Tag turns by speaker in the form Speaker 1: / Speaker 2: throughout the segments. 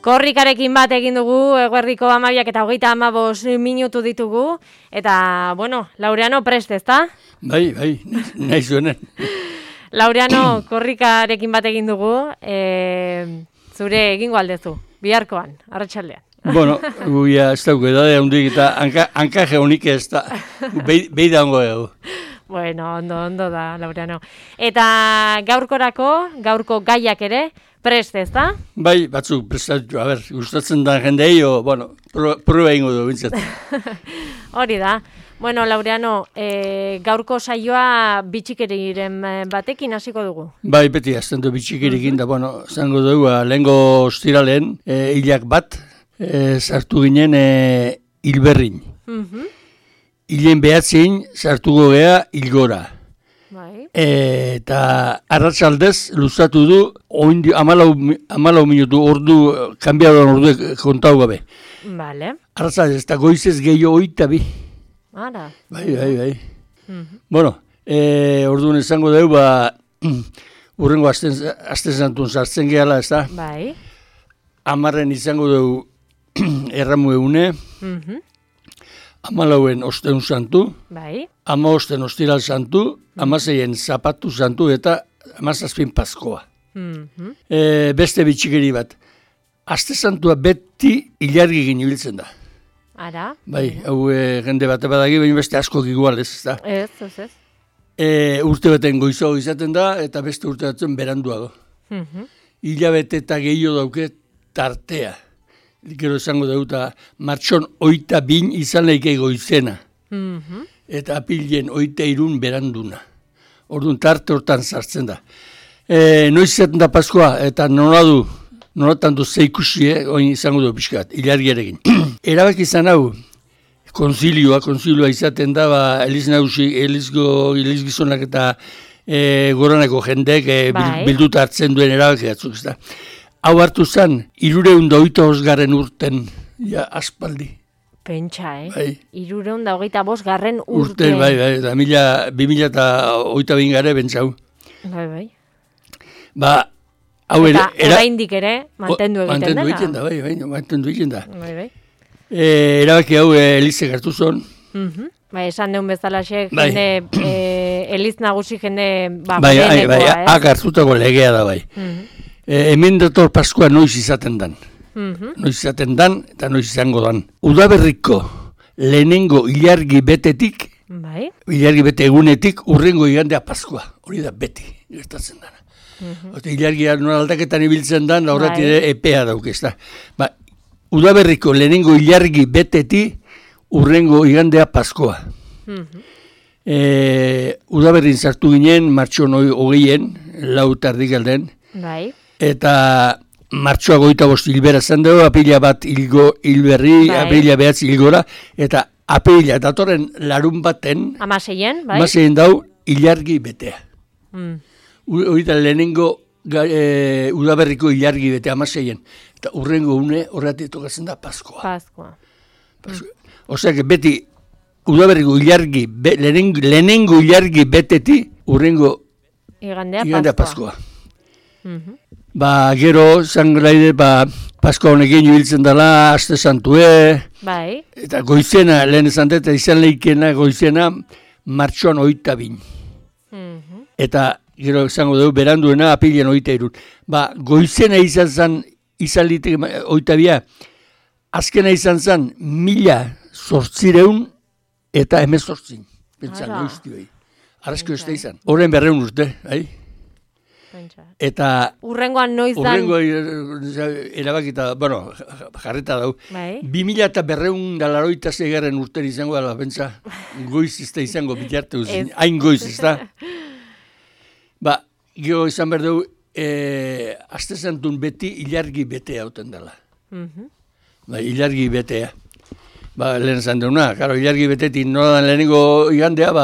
Speaker 1: Korrikarekin bat egin dugu, eguerdiko 12 eta 35 minutu ditugu, eta, bueno, Laureano prest, ezta?
Speaker 2: Bai, nahi zuenen.
Speaker 1: Laureano, korrikarekin bat egin dugu, zure egingo aldezu, biharkoan, arratsaldean.
Speaker 2: Bueno, guia ez dauko edade handik eta hankaje honik ez da, behi daungo dugu.
Speaker 1: Bueno, ondo da, Laureano. Eta gaurko gaiak ere, prest, ez da?
Speaker 2: Bai, batzuk prestatu, gustatzen da jendei, bueno, proba ingo du, bintzat.
Speaker 1: Hori da. Bueno, Laureano, gaurko saioa bitxikeriren batekin hasiko dugu.
Speaker 2: Bai, beti, azten du bitxikerikin da, bueno, zango dugu, lehengo ostiralen, hilak bat, sartu ginen hilberrin. Hilen behatzin sartuko gea hilgora.
Speaker 1: Bai.
Speaker 2: Eta arratsaldez luzatu du, 14 minutu ordu, kanbiadoan ordu kontau gabe.
Speaker 1: Vale.
Speaker 2: Arratsaldez, eta goizez gehiago 22.
Speaker 1: Ara.
Speaker 2: Bai. Bueno, orduan esango dugu, urrengo aste santun sartzen gehala, ez da?
Speaker 1: Bai.
Speaker 2: 10 izango dugu erramu egune, 14 osteun santu,
Speaker 1: bai.
Speaker 2: 15 ostiral santu, 16 zapatu santu eta 17 paskoa. Beste bitxikeri bat. Aste santua beti ilargi ginibiltzen da.
Speaker 1: Ara.
Speaker 2: Bai, hau jende bat badagi, baina beste askok igual ez da.
Speaker 1: Ez.
Speaker 2: Urte baten goizago izaten da, eta beste urte batzen beranduago. Hilabete eta gehiago dauke tartea. Gero esango dauta, martxon 22 izan leike goizena. Eta apilen 23 beranduna. Orduan tarte hortan sartzen da. Noiz izaten da Paskoa, eta nolatan du zeikusi, oin izango du pixkat, hilargiarekin. Erabak izan hau, konzilioa izaten da, elizgizonak eta goraneko jendek bilduta hartzen duen erabak batzuk, ez da. Hau hartu zen, 325 urten, ja, aspaldi.
Speaker 1: Pentsa,
Speaker 2: Bai.
Speaker 1: 325 urten.
Speaker 2: Bai, eta 2022 gare bentsau.
Speaker 1: Bai.
Speaker 2: Ba, hau
Speaker 1: eta oraindik ere, mantendu egiten dena.
Speaker 2: Mantendu egiten da.
Speaker 1: Bai.
Speaker 2: Erabaki hau elizek hartu zon.
Speaker 1: Bai, esan deun bezalaxe, jende, eliz nagusi jende,
Speaker 2: Bai, hartutako legea da, bai. Hemen dator Paskoa noiz izaten dan. Noiz izaten dan, eta noiz izango dan. Udaberriko lehenengo ilargi betetik, ilargi bete egunetik, urrengo igandea Paskoa. Hori da beti, gertatzen dana. Ilargia nola aldaketan ibiltzen dan, horreti epea dauk ez da. Udaberriko lehenengo ilargi beteti, urrengo igandea Paskoa. Udaberrin sartu ginen, martxon 20, 4 tardik alden.
Speaker 1: Bai.
Speaker 2: Eta martxoa 25 hilbera zen dugu, apila bat hilberri, apila behatz hilgora, eta apila datorren larun baten, 16 dau hilargi betea. Horita lehenengo udaberriko hilargi betea 16, eta urrengo une horretik tokatzen da Paskoa. Osea, beti udaberriko hilargi, lehenengo hilargi beteti, urrengo igandea Paskoa. Gero, zanglaide, Paskoa honekin ibiltzen dela, aste santue, eta goizena, lehen esan dut, izan leikena goizena, martxoan 22. Eta, gero, esango dugu, beranduena, apilean 23. Goizena izan zen, izan litek 22, azkena izan zen, 1800 eta 18. Pentsa, noizti bai. Arrazko ez da izan. Horren 200 urte, eta
Speaker 1: urrengoan noiz dan
Speaker 2: erabakita, bueno, jarreta dau. 2286 urten izango dela, pentsa, goiz ez da izango bitarte uzin, hain goiz ez da. Gero izan behar dugu, aste santun beti ilargi betea hauten dela. Ilargi betea. Lehen esan deuna, ilargi betetik nola dan lehenengo igandea,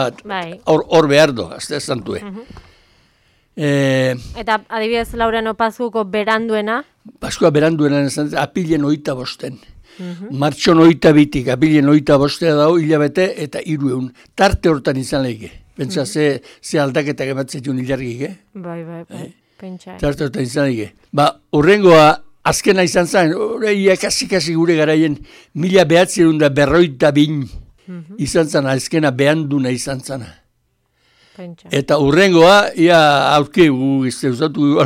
Speaker 2: hor behar du, aste santue.
Speaker 1: Eta adibidez Laureano Paskuko beranduena?
Speaker 2: Paskoa beranduena apilen 25. Martxon 22tik apilen 25 dago hilabete eta 300. Tarte hortan izan leike. Pentsa ze aldaketak ematzen duen ilargik,
Speaker 1: Bai, pentsa.
Speaker 2: Tarte hortan izan leike. Urrengoa azkena izan zen, ia kasi gure garaien, 1942 izan zen, azkena behalduna izan zen. Eta urrengoa, ia aurke gu izteuzatu,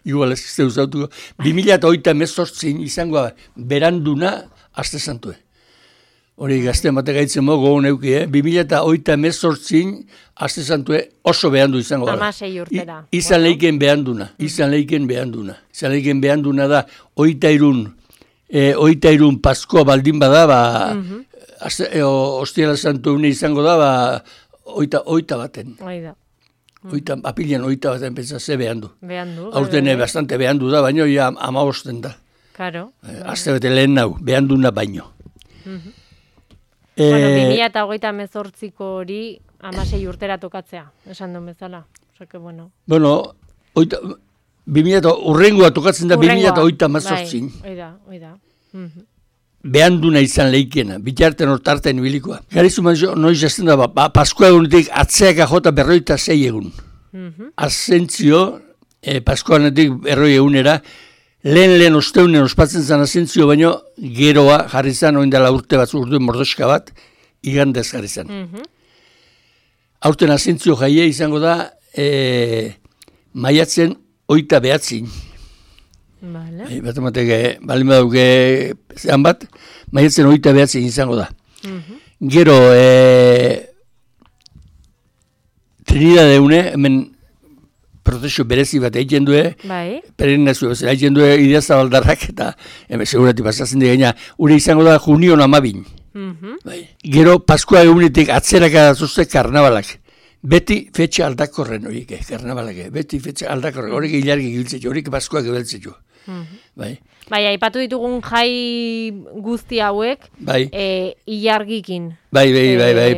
Speaker 2: igual ez izteuzatu, 2008 izango beranduna azte zantue. Hori gazte mate gaitzen mogo neuki, 2008 azte zantue oso behandu izango gara.
Speaker 1: 16 urtera.
Speaker 2: Izan leiken behanduna. Izan leiken behanduna da, 83 Paskoa baldin bada, Ostiala Santu une izango da, 8 baten. Apilian 8 baten pentsa ze behandu. Aurten bastante behandu da, baino ja 15 da.
Speaker 1: Claro.
Speaker 2: Azte bete lehen nau, behanduna baino.
Speaker 1: Bueno, 2028ko hori 16 urtera tokatzea, esan duen bezala. Osake, bueno.
Speaker 2: Bueno, urrengoa tokatzen da 2028.
Speaker 1: Oida.
Speaker 2: Behanduna izan leikena, bitarten hortarten ibilikoa. Garizu manzo, noiz jazten da, Paskoa egunetik atzeaka jota 46 egun. Asentzio, Paskoanetik 40 egunera, lehen osteunen ospatzen zen asentzio, baino geroa jarri zen, oindela urte batzu urduen mordoska bat, igandez jarri zen. Aurten asentzio jaie izango da, maiatzen 29. Bat ematek, balin baduke zehan bat, maiatzen 29 izango da. Gero, Trinidad eune, hemen protesio berezi bat egiten due, peregrinazio bezala egiten due Idiazabaldarrak, eta hemen segurati pasatzen digaina, ure izango da Junion 12. Gero, Paskoa egunetik atzeraka dazuzte karnabalak. Beti fetxa aldakorren horiek, karnabalak, beti fetxa aldakorren, horiek hilargi giltzetxo, horiek Paskoak ebeltzetxo.
Speaker 1: Bai, aipatu ditugun jai guzti hauek, ilargikin.
Speaker 2: Bai,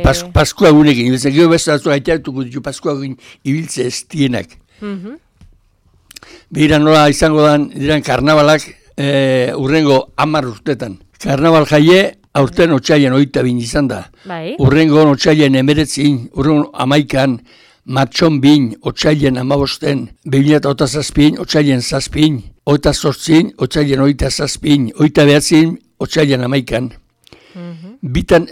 Speaker 2: Paskoa egunekin, gero bezalazu gaitatuko ditu Paskoa egunekin ibiltze ez dienak. Behira nola izango diran karnabalak urrengo 10 urtetan. Karnabal jaie aurten otsailen 22 izan da. Urrengo otsailen 19, urrengo 11, martxon 2, otsailen 15, 2007, otsailen 7, 28, otsailen 27, 29, otsailen 11. Bitan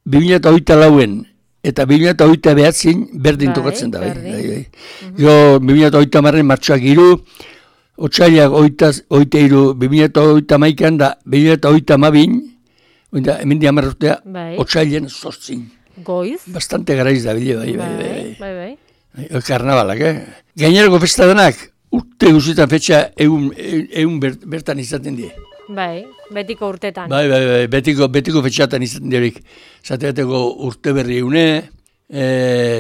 Speaker 2: 2008 eta 2008 berdin tokatzen da. Gero 2008 martxoak 3, otsailak 23, 2008 da 2008 hemen di 10 urtea, otsailen 8.
Speaker 1: Goiz?
Speaker 2: Bastante garaiz da bile, bai. Karnabalak, Gainerako festa denak, urte guzitan fetxa egun bertan izaten die.
Speaker 1: Bai, betiko urtetan.
Speaker 2: Bai, betiko fetxatan izaten diorik. Zateateko urte berri eune,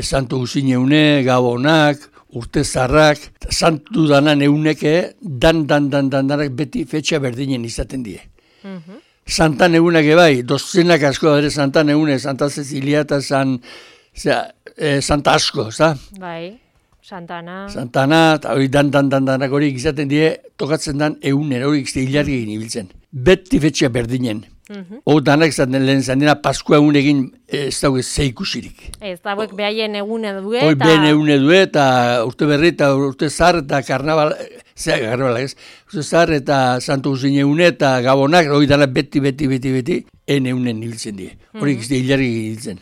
Speaker 2: santu guzin eune, gabonak, urte zarrak, santu danan euneke, danak beti fetxa berdinen izaten die. Santan egunak bai, dozenak asko da ere Santan egune, Santa Cecilia eta Santa asko, za?
Speaker 1: Bai, Santana,
Speaker 2: eta hori danak horiek izaten die, tokatzen dan egunen, horiek hilargi egin ibiltzen. Beti fetxa berdinen. Danak zaten lehen zandena, Paskoa egunekin ez dago zeikusirik.
Speaker 1: Ez dagoek behaien egune due.
Speaker 2: Hoi behen egune due, eta urte berri, eta urte zar, eta karnaval, urte zar, eta santu guzin egune, eta gabonak, hori danak beti, en egunen ibiltzen die. Horiek ez hilargi ibiltzen.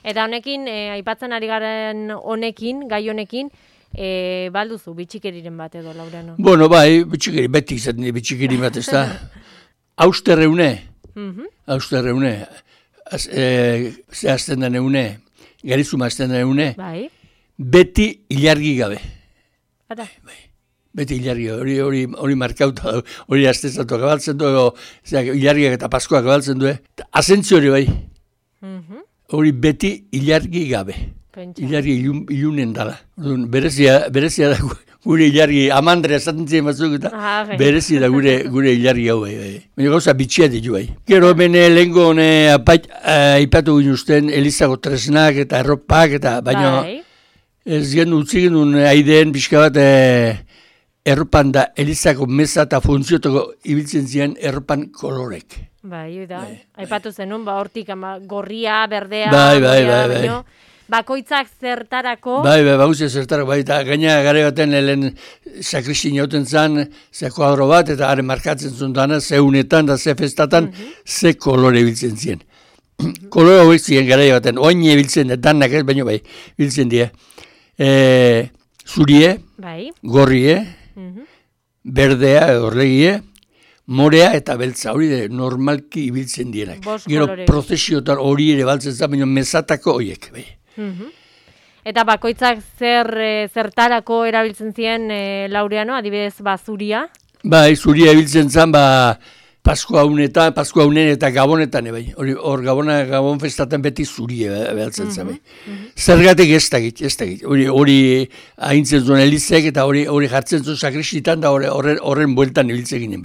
Speaker 1: Eta honekin, aipatzen ari garen honekin, gai honekin, balduzu, bitxikeriren bat edo, Laureano?
Speaker 2: Bueno, bai, bitxikeri, beti izaten die bitxikeri bat, ez da. Austerreune, zehazten den eune, garizuma azten den eune, beti hilargi gabe. Beti hilargi gabe, hori markauta, hori aztezatu gabaltzen du, hilargiak eta Paskoak gabaltzen du, asentzio hori bai. Hori beti hilargi gabe. Hilargi ilunen dala. Berezia da gure hilargi, amandrea esaten ziren batzuk eta berezia da gure hilargi hau bai. Baina gauza bitxia ditu bai. Gero bene lehenko aipatu ginuzten Elizako tresnak eta erropak eta baina ez gen utzi genuen aideen pixka bat erropan da Elizako meza eta funtziotako ibiltzen ziren erropan kolorek.
Speaker 1: Bai, aipatu zenun, hortik gorria, berdea,
Speaker 2: bai.
Speaker 1: bakoitzak zertarako?
Speaker 2: Bakoitzak zertarako, eta gaina gare baten helen sakristin jauten zan, ze kuadro bat, eta haren markatzen zuen dana, ze unetan da ze festatan, ze kolore biltzen ziren. Kolore horiek ziren gare baten, oine biltzen, danak ez, baina biltzen die. Zurie, gorrie, berdea, horregie, morea eta beltza, hori normalki ibiltzen dienak. Gero prozesiotan hori ere baltzen zen, baina mesatako horiek.
Speaker 1: Eta bakoitzak zertarako erabiltzen ziren Laureano, adibidez zuria?
Speaker 2: Zuria ibiltzen zen, Paskua unen eta Gabonetan, hor Gabon festaten beti zurie behaltzen zen. Zergatik ez dakit. Hori haintzen zuen elizek eta hori jartzen zuen sakristitan da horren bueltan ibiltzen ginen.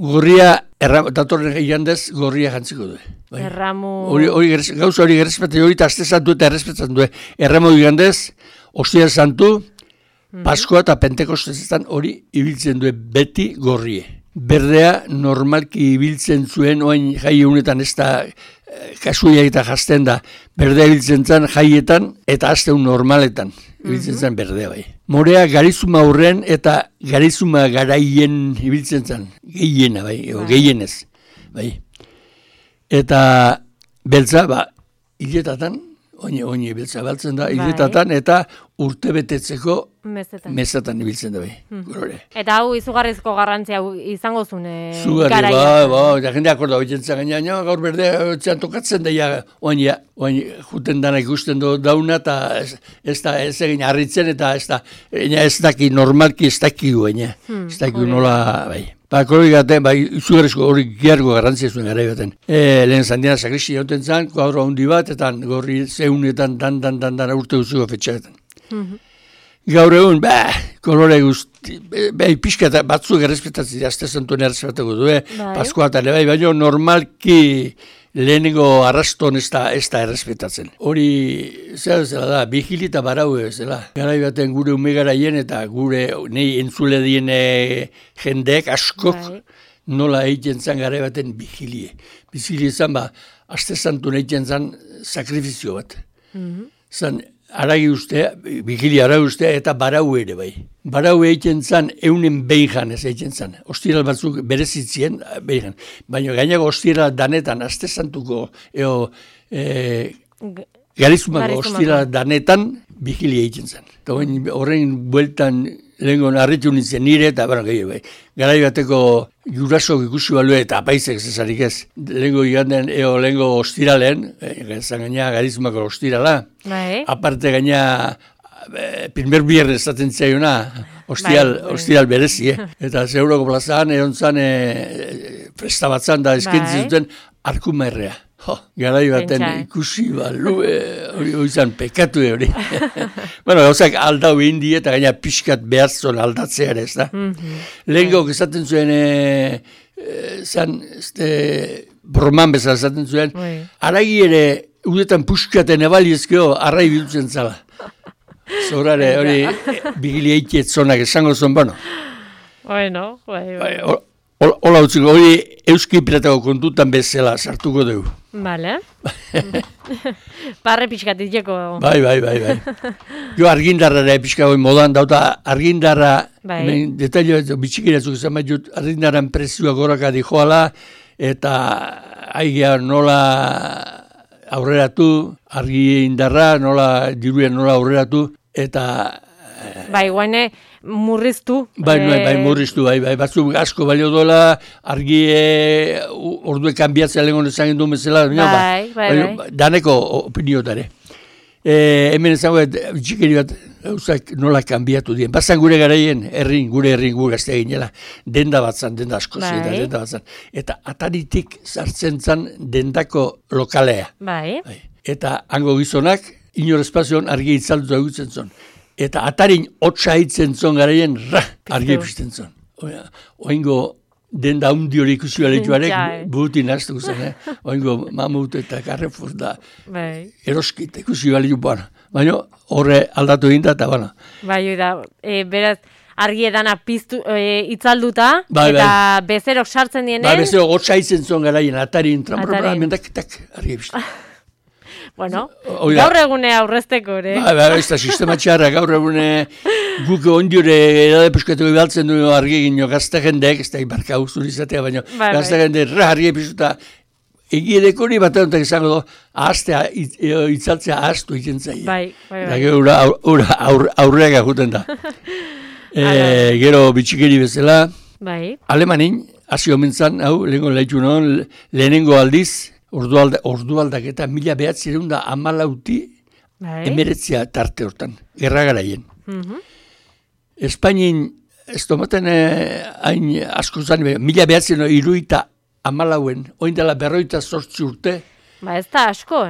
Speaker 2: Gorria, datorren igandez, gorria jantziko du. Gauza hori gerrespetzen, hori eta azte santu eta errespetzen du. Erramo igandez, ostia santu, Paskua eta Pentekostezetan hori ibiltzen du beti gorrie. Berdea normalki ibiltzen zuen, oain jai honetan ez da kasuia eta jazten da, berdea ibiltzen zen jaietan eta azteun normaletan ibiltzen zen berdea bai. Morea garizuma horren eta garizuma garaien ibiltzen zen, gehiena gehienez. Eta beltza, hiletatan, oine beltza baltzen da, hiletatan eta urte betetzeko mesetan ibiltzen da
Speaker 1: Eta hau izugarrizko garrantzia izango zuen
Speaker 2: garaia. Eta jende akorda horitzen zen, gaur berdea txan tokatzen da, oine juten dana ikusten dauna, eta ez egin harritzen, eta ez daki normalki ez daki nola, Kolori gaten, izugarrizko hori giargo garrantzia zuen gara baten. Lehen zandiana sakristi jauten zen, kuadro handi bat, eta gorri zeunetan dan urte duzuko fetxaetan. Gaur egun, kolore guzti, pixka eta batzuk errespetatzen, azte zentuen errespetako du, Paskua eta baina normalki lehenengo arraston ez da errespetatzen. Hori, zela da, bihili eta barau zela. Garai baten gure ume garaien eta gure nahi entzule dien jendeek askok nola egiten zan garai baten bihilie. Bihilie zan, azte zantuen egiten zan sakrifizio bat. Zan, aragi ustea, bihilia aragi ustea eta barau ere bai. Barau egiten zan, eunen behin ez egiten zan. Ostiral batzuk berezitzien behin. Baina gainako ostiral danetan, azte zantuko, garizumako ostiral danetan, bihilia egiten zan. Eta horren bueltan, lehenko narritu nintzen nire, eta gehiago bai. Garai bateko jurasok ikusi balue eta apaizek zezarik ez. Lehenko iganden, lehenko ostiralen, gaina garizumako ostirala. Aparte gaina, primer biernes zaten zaiona, ostiral berezi, Eta Zeuroko plazaan, egon zan, festa batzan da eskentzen zuten, arkumaerrea. Garai baten ikusi hori izan pekatu hori. Gauzak aldau indi eta gaina pixkat behatzon aldatzea ere, ez da? Lehenko esaten zuen, broman bezala esaten zuen, aragi ere, udetan puskaten ebaliezkeo, arrai biltzen zala. Zorare, hori, bigili eitiet zonak esango zon, Hola utziko, hori euski piratako kontutan bezala sartuko dugu.
Speaker 1: Bale. Barre pixkatit jeko.
Speaker 2: Bai. Jo argindarra pixka hori modan dauta argindarra, detailo bitxikiratzuk izan bat jut, argindarran prezioak goraka dijoala, eta aigea nola aurreratu, argindarra, diruia nola aurreratu, eta...
Speaker 1: guaine murriztu.
Speaker 2: Murriztu, batzuk asko balio dola, argi ordue kanbiatzea lehenko nezagin duen bezala, daneko opiniotare. Hemen ezango, txikeri bat, nola kanbiatu dien. Bazan gure garaien, gure gaztea ginela, denda batzan, denda asko denda batzan. Eta ataritik sartzen zan dendako lokalea. Eta hango gizonak, inor espazioan argi itzalduta egutzen zon. Eta atarin hotza hitzen zon garaien, argi pizten zon. Oingo denda hundi hori ikusi baletuarek, burutin naztuko zen, Oingo Mamut eta Carrefour da, eroskit ikusi baletu, baina horre aldatu eginda eta bana.
Speaker 1: Beraz, argi edana piztu itzalduta, eta bezerok sartzen dienen.
Speaker 2: Bezerok hotza hitzen zon garaien, atarin, mendak, argi pizten.
Speaker 1: Bueno, gaur egune aurrezteko, ere?
Speaker 2: Ez da, sistema txarra, gaur egune guk ondiore edade puskatuko behaltzen du argi egin gazte jendeek, ez da, ibarka guztur izatea, baina gazte jende argi epizuta, egiedeko hori bat egontak izango du, ahaztea, itzaltzea ahaztu egiten zaia. Bai. Aurreak juten da. Gero bitxikeri bezala, Alemanin, hasi omentzan, hau, lehenengo aldiz, ordualdak eta 1910 emeretzia tarte hortan, gerra garaien. Espainin, ez tomaten hain asko zan, 1910 amalauen, oin dela 48 urte.
Speaker 1: Ez da asko,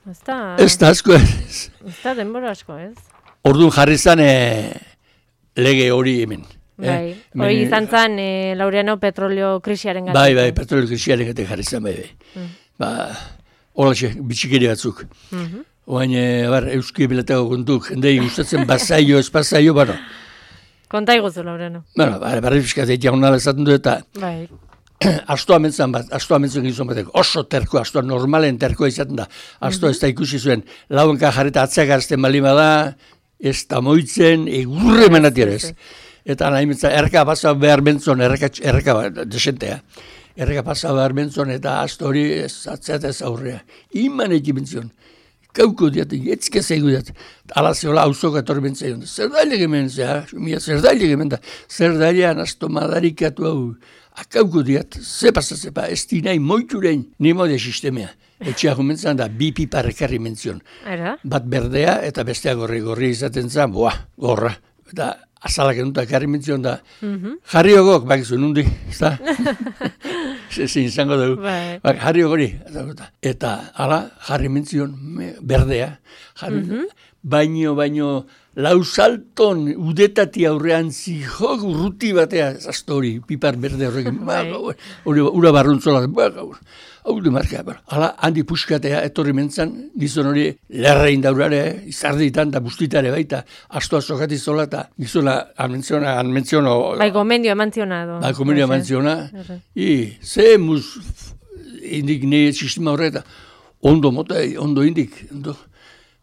Speaker 2: Ez da asko,
Speaker 1: ez. Ez da denbora asko, ez.
Speaker 2: Orduan jarri zan lege hori hemen.
Speaker 1: Bai, hori izan zen Laureano petrolio krisiaren gati.
Speaker 2: Bai, petrolio krisiaren gati jarri zen, bai. Holaxe, bitxikeri batzuk. Oain, euski bilatako kontuk, jendei gustatzen bazaio, espazaio, bano.
Speaker 1: Konta iguzu, Laureano.
Speaker 2: Bueno, barri fiskatzea jaunala esaten du eta astoa mentzen gizon batek, oso terkoa, astoa normalen terkoa izaten da. Astoa ez da ikusi zuen, lauenka jarreta atzeak arzten balima da, ez da moitzen, egurre menatier ez. Eta nahi mitzan, erreka pasa behar bentzon, erreka desentea. Erreka pasa behar bentzon eta asto hori atzeat ez aurrea. Iman eki bentzion. Kauko diat, etzke zeigu diat. Ala zehola hauzok etorri bentzaion. Zerdaile gemen, zerdaile gemen da. Zerdailean asto madarikatu hau. Akauko diat, zepa, ez dinai moiturein. Ni modia sistemea. Etxeak umentzan da, bi pipa rekarri mentzion. Bat berdea eta bestea gorri izaten zen, gorra. Eta azalak enutak jarri mentzion da, jarri ogok, bakizu, nundi, ez da? Zin izango dugu. Jarri ogori. Eta ala, jarri mentzion, berdea, baino, lausalton udetati aurrean zihok urruti batea, zazto hori, pipar berde horrekin, ura barruntzola, hau du marka, hala, handi puskatea etorri mentzan, gizon hori lerrein daurare, izarditan da bustitare baita, astoa sokati zola eta gizona anmentziono.
Speaker 1: Bai, gomendio emantziona.
Speaker 2: Bai, gomendio emantziona. Ze muz indik ne sistema horreta, ondo indik,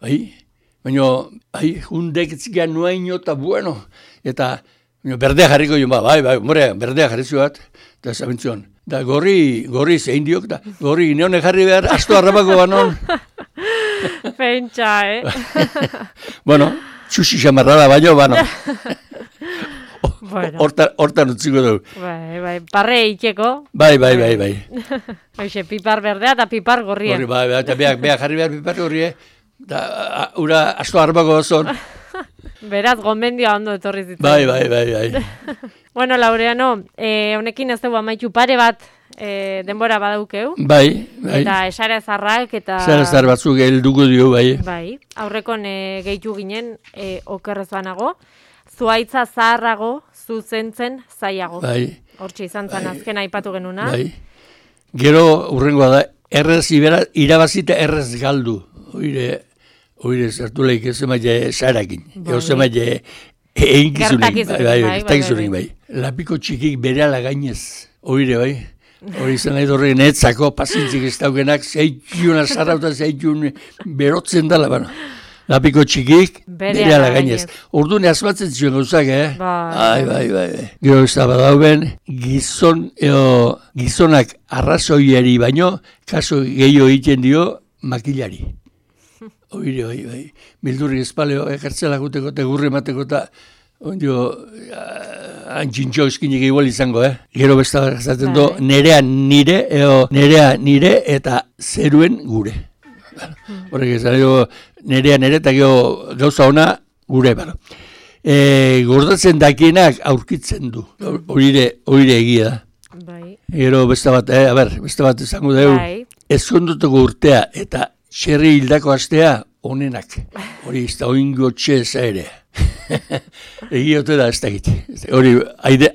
Speaker 2: bai, baina, hundek etzikan nuaino eta bueno, eta berdea jarriko joan, bai, berdea jarri zuat, eta zabentzion. Da gorri zein diok, da gorri neone jarri behar, asto harrapako banon.
Speaker 1: Pentsa,
Speaker 2: Bueno, txusi xamarrada baino, Hortan utziko dugu.
Speaker 1: Bai, parre itxeko.
Speaker 2: Bai.
Speaker 1: Hoxe, pipar berdea eta pipar gorria.
Speaker 2: Bai, eta beak jarri behar pipar gorria, da ura asto harrapako zon.
Speaker 1: Beraz, gomendia ondo etorri zitzen.
Speaker 2: Bai.
Speaker 1: Bueno, Laureano, honekin ez dugu amaitu pare bat denbora badaukeu.
Speaker 2: Bai.
Speaker 1: Eta esare zarrak eta...
Speaker 2: Esare zar batzuk helduko dio, bai.
Speaker 1: Bai, aurrekon gehitu ginen okerrez banago. Zuaitza zaharrago, zuzentzen zaiago.
Speaker 2: Bai.
Speaker 1: Hortxe izan zen azken aipatu genuna.
Speaker 2: Bai. Gero, urrengoa da, errez irabazita errez galdu. Oire, zertu lehik ez emaile zarakin. Ego zemaile gertakizunik, bai. Lapiko txikik bere ala gainez. Oire, bai. Hori izan nahi dorre netzako pasintzik ez daukenak, zeitxun azarrauta zeitxun berotzen dala, bano. Lapiko txikik bere ala gainez. Orduan asmatzen zuen gauzak, Bai. Gero ez da badauben, gizonak arrazoiari baino, kaso gehiago egiten dio makilari. Oire, bai. Bildurri espaleo, ekartzelak uteko, tegurri emateko eta antxintxo eskinik igual izango, Gero besta zaten do, nerea nire eta zeruen gure. Horrek ez, nerea eta gauza ona gure, gordatzen dakienak aurkitzen du. Oire egia da. Gero besta bat izango dugu, ezkonduteko urtea eta txerri hildako astea onenak. Hori ez da oingo txeza ere. Egiote da ez da egite. Hori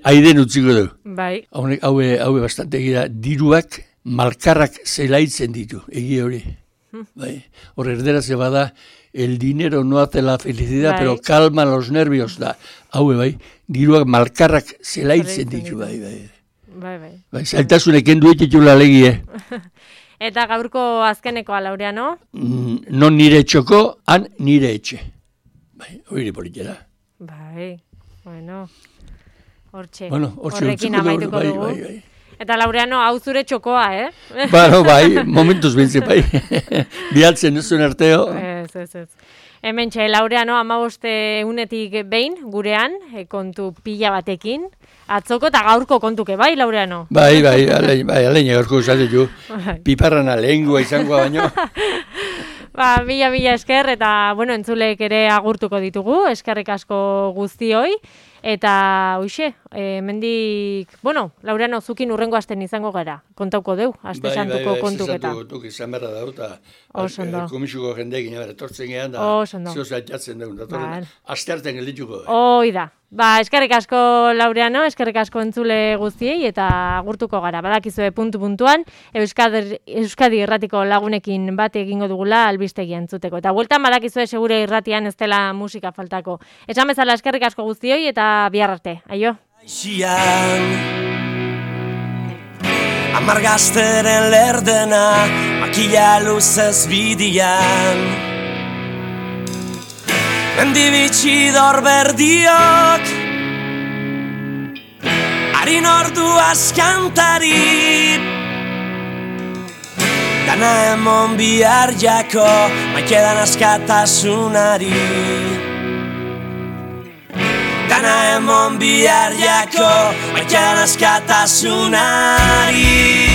Speaker 2: aiden utziko du.
Speaker 1: Bai.
Speaker 2: Haue bastante egira, diruak malkarrak zelaitzen ditu. Egi hori. Bai. Hor erderaz bada, el dinero no hace la felicidad, pero calma los nervios da. Haue bai, diruak malkarrak zelaitzen ditu. Bai. Zailtasunek endu etxetula legi,
Speaker 1: Eta gaurko azkenekoa, Laureano?
Speaker 2: Non nire etxoko, han nire etxe. Bai, hori politera.
Speaker 1: Bai, bueno, hortxe,
Speaker 2: horrekin
Speaker 1: amaituko dugu. Bai. Eta Laureano, hau zure txokoa,
Speaker 2: Bai, momentuz bintzen, bai. Bialtzen ez zuen arteo.
Speaker 1: Ez. Hemen txe, Laureano, 15 unetik behin, gurean, kontu pila batekin. Atzoko eta gaurko kontuke, bai, Laureano? Bai,
Speaker 2: alein gaurko esate ju. Piparrana lehengua izangoa baino.
Speaker 1: Mila esker, eta, entzulek ere agurtuko ditugu, eskerrik asko guztioi. Eta, mendik, Laureano, zukin urrengo asten izango gara, kontauko deu, aste santuko kontuketa.
Speaker 2: Bai, tuk izan berra da, eta komisuko jendeekin etortzen gehan da, zio zaitatzen dugu, datorren, aste harten geldituko.
Speaker 1: Oida. Eskerrik asko, Laureano, eskerrik asko entzule guztiei, eta agurtuko gara, badakizue puntuan, Euskadi irratiko lagunekin bate egingo dugula albistegi entzuteko. Eta bueltan badakizue segure irratian ez dela musika faltako. Esan bezala eskerrik asko guztioi, eta bihar arte. Aio?
Speaker 3: Amargazteren lerdena, makila luzez bidian, mendibitxidor berdiok, harin ordu askantari, dana emon bihar jako, maikedan askatasunari. Dana emon bihar jako, maikedan askatasunari.